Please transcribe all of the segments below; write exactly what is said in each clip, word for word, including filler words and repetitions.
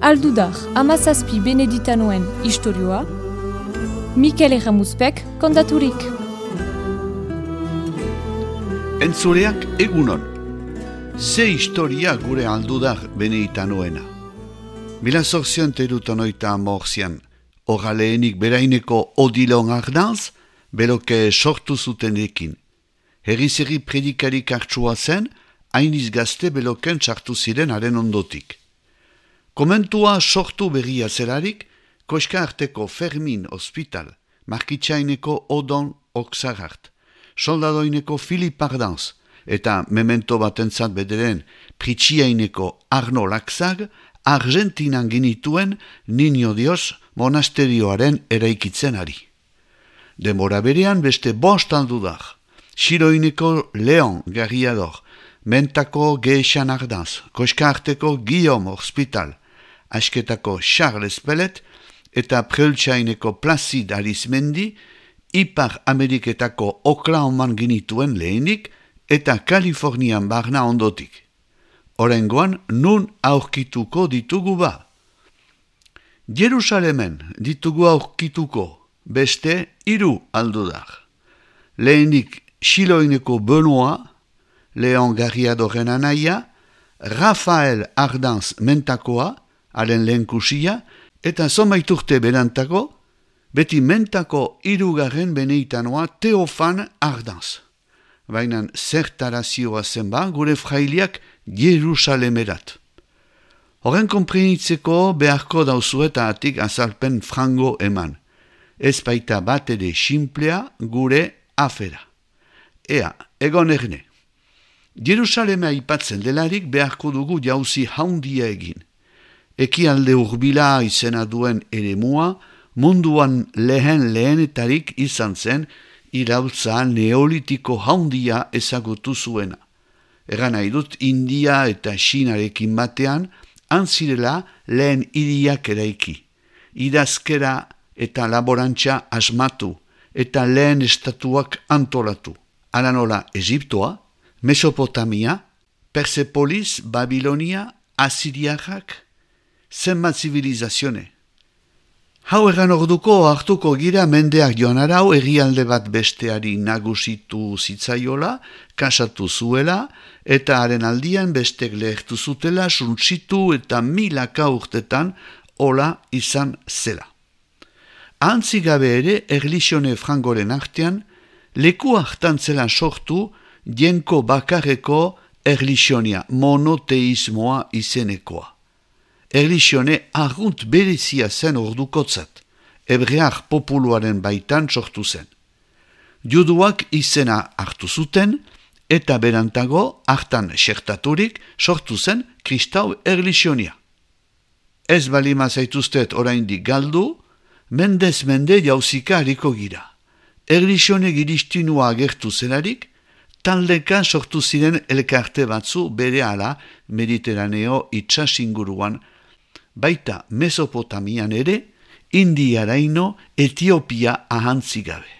Aldudar, amazazpi beneditanoen istorioa, Mikel Erramuzpek kontaturik. Entzuleak egunon, ze historia gure aldudar beneditanoena. Mila zorzion teruton oita amorzian, oraleenik beraineko odilon ardanz, beloke sortu zutenekin. Herri-zerri predikarik hartsua zen, hainiz gazte beloken sartu ziren haren ondotik. Komentua sortu berria zelarik, Koska arteko Fermin Hospital, Markitsaineko Odon Oksagart, Soldadoineko Filip Ardanz, eta memento batentzat bederen Pritsiaineko Arno Laxag, Argentinan ginituen Niño Dios monasterioaren eraikitzen ari. Demora berean beste bost aldudar, Xiroineko Leon Garriador, Mentako Geixan Ardanz, Koska arteko Guillaume Hospital, Asketako Charles Pellet eta Preultsaineko Placid Arizmendi, Ipar Ameriketako Oklahoman ginituen lehenik eta Kalifornian barna ondotik. Oraingoan nun aurkituko ditugu ba. Jerusalemen ditugu aurkituko beste hiru aldudar. Lehenik Xiloineko Benoa, Leon Garriadoren anaia, Rafael Ardanz Mentakoa, haren lehenkusia, eta zomaiturte berantako, beti Mentako hirugarren beneditanoa Teofan Ardanz. Baina zertarazioa zenba gure frailiak Jerusalemerat. Horren konprenitzeko beharko dauzueta atik azalpen frango eman. Ez baita bat ere simplea gure afera. Ea, egon erne. Jerusalema aipatzen delarik beharko dugu jauzi haundia egin. Ekialde urbila izena duen eremua, munduan lehen lehenetarik izan zen iraultza neolitiko haundia ezagutu zuena. Egan nahi dut India eta Xinarekin batean, antzirela lehen hiriak eraiki. Idazkera eta laborantza asmatu, eta lehen estatuak antolatu. Hala nola Egiptoa, Mesopotamia, Persepolis, Babilonia, Asiriarrak, zenbat zivilizazione. Hau egan orduko hartuko gira mendeak joan arau herrialde bat besteari nagusitu zitzaiola, kasatu zuela, eta haren aldian bestek lehertu zutela, suntsitu eta milaka urtetan hola izan zela. Ahantzigabe ere, erlixione frangoren artean, leku hartan zela sortu jenko bakarreko erlixionia, monoteismoa izenekoa. Erlixione argunt berezia zen ordukotzat, hebrear populuaren baitan sortu zen. Juduak izena hartu zuten, eta berantago hartan xertaturik sortu zen kristau erlixionia. Ez balima zaituztet oraindik galdu, mendez mende jauzika hariko gira. Erlixione giristinua agertu zelarik, taldeka sortu ziren elkarte batzu berehala Mediterraneo itsasinguruan, baita Mesopotamian ere, Indiaraino, Etiopia ahantzigabe.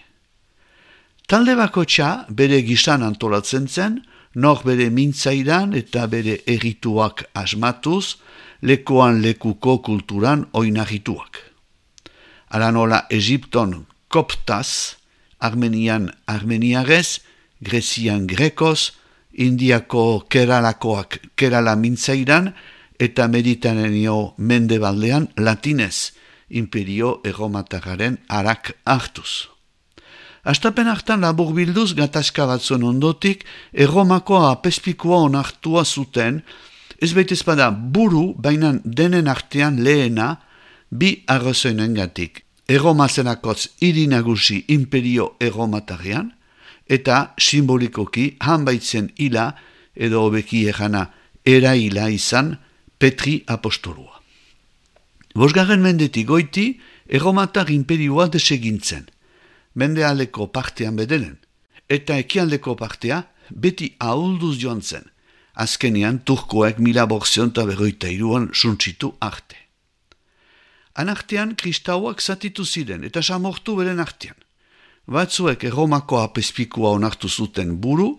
Talde bakotxa bere gisan antolatzen zen, nor bere mintzaidan eta bere errituak asmatuz, lekuan lekuko kulturan oinarrituak. Hala nola Egipton koptaz, Armenian armeniarez, Grezian grekoz, Indiako keralakoak kerala mintzaidan, eta Mediterraneo mendebaldean latinez, imperio erromatarraren arak hartuz. Astapen hartan labur bilduz gatazka batzuen ondotik, erromako apespikoa onartua zuten, ez baitez bada buru, bainan denen artean lehena, bi arrazoinengatik. Erromazenakotz hiri nagusi imperio erromatarrean, eta simbolikoki hanbaitzen hila, edo hobeki erana eraila izan, Petri apostolua. Bosgarren mendetik goiti, erromatar imperioa desegintzen. Mendealdeko partean bedelen, eta ekialdeko partea beti ahulduz joan zen. Azkenian turkoek mila borzionta berroita iruan suntsitu arte. Anartean kristauak zatitu ziren eta samortu beren artean. Batzuek erromako apespikua onartu zuten buru,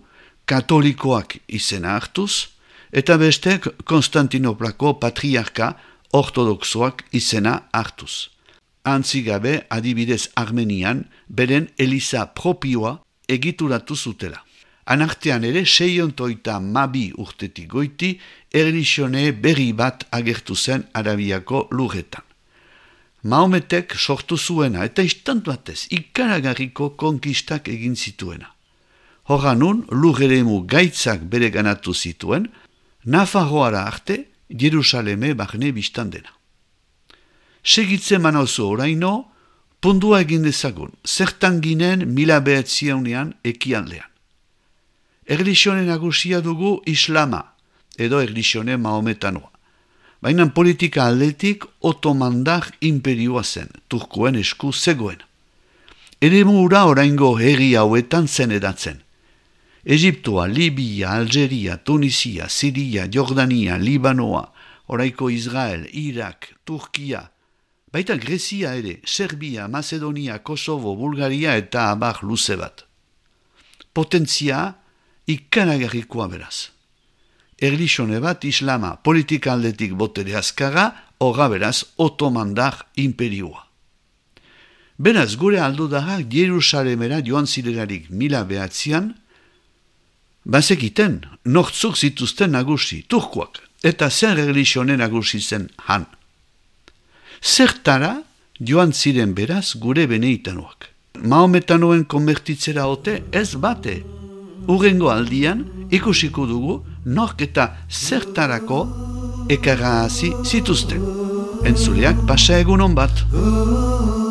katolikoak izena hartuz, eta bestek Konstantinoplako patriarka ortodoxoak izena hartuz. Antzigabe adibidez Armenian beren eliza propioa egituratu zutela. Anartean ere seiontoita mabi urtetik goiti erlixione berri bat agertu zen Arabiako lurretan. Mahometek sortu zuena eta istantu batez ikaragarriko konkistak egin zituena. Horanun lurreremu gaitzak bere ganatu zituen, Nafarroara arte Jerusaleme barne biztandena. Segitze manauzu oraino, pundua egin dezagun, zertan ginen mila behatziaunean ekialdean. Erlixione nagusia dugu islama, edo erlixione mahometanoa. Baina politika aldetik otomandar imperioa zen, turkoen esku zegoen. Eremu ura oraingo herri hauetan zen edatzen. Egiptoa, Libia, Algeria, Tunisia, Siria, Jordania, Libanoa, oraiko Israel, Irak, Turkia, baita Grezia ere, Serbia, Macedonia, Kosovo, Bulgaria eta abar luze bat. Potentzia ikaragarrikoa beraz. Erlixione bat islama politika aldetik botere azkarra, horra beraz otomandar imperioa. Beraz gure aldudarrak Jerusalemera joan zirelarik mila behatzian, bazekiten nortzuk zituzten nagusi, turkoak, eta zer erlixione nagusi zen han. Zertara joan ziren beraz gure beneitanoak. Mahometanoen konbertitzera ote ez bate. Urrengo aldian ikusiko dugu nork eta zertarako ekarrazi zituzten. Entzuleak pasa egunon bat.